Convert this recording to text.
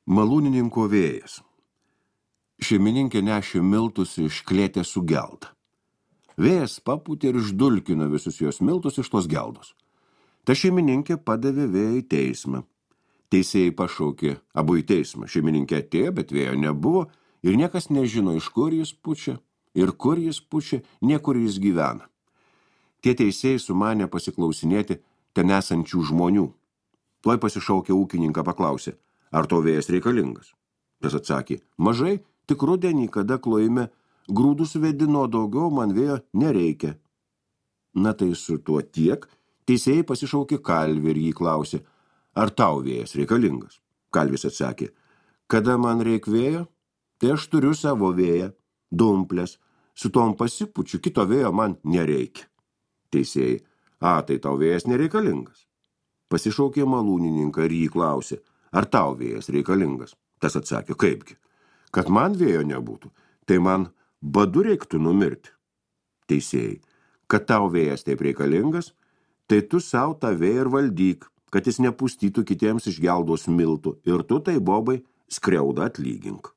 Malūnininko vėjas. Šeimininkė nešė miltus iš klėtės su gelda. Vėjas papūtė ir išdulkino visus jos miltus iš tos geldos. Ta šeimininkė padavė vėją į teismą. Teisėjai pašaukė abu į teismą. Šeimininkė atėjo, bet vėjo nebuvo ir niekas nežino, iš kur jis pučia ir kur jis pučia, niekur jis gyvena. Tie teisėjai sumanė pasiklausinėti ten esančių žmonių. Tuoj pasišaukė ūkininką, paklausė, ar to vėjas reikalingas. Tas atsakė, mažai, tik rudenį, kada klojime grūdus vedino, daugiau man vėjo nereikia. Na tai su tuo tiek, teisėjai pasišaukė kalvį ir jį klausė, ar tau vėjas reikalingas. Kalvis atsakė, kada man reik vėjo, tai aš turiu savo vėją, dumplės, su tom pasipučiu, kito vėjo man nereikia. Teisėjai, tai tau vėjas nereikalingas. Pasišaukė malūnininką ir jį klausė, ar tau vėjas reikalingas. Tas atsakė, kaipgi, kad man vėjo nebūtų, tai man badu reiktų numirti. Teisėjai, kad tau vėjas taip reikalingas, tai tu sau tą vėją ir valdyk, kad jis nepustytų kitiems iš geldos miltų, ir tu tai bobai skriaudą atlygink.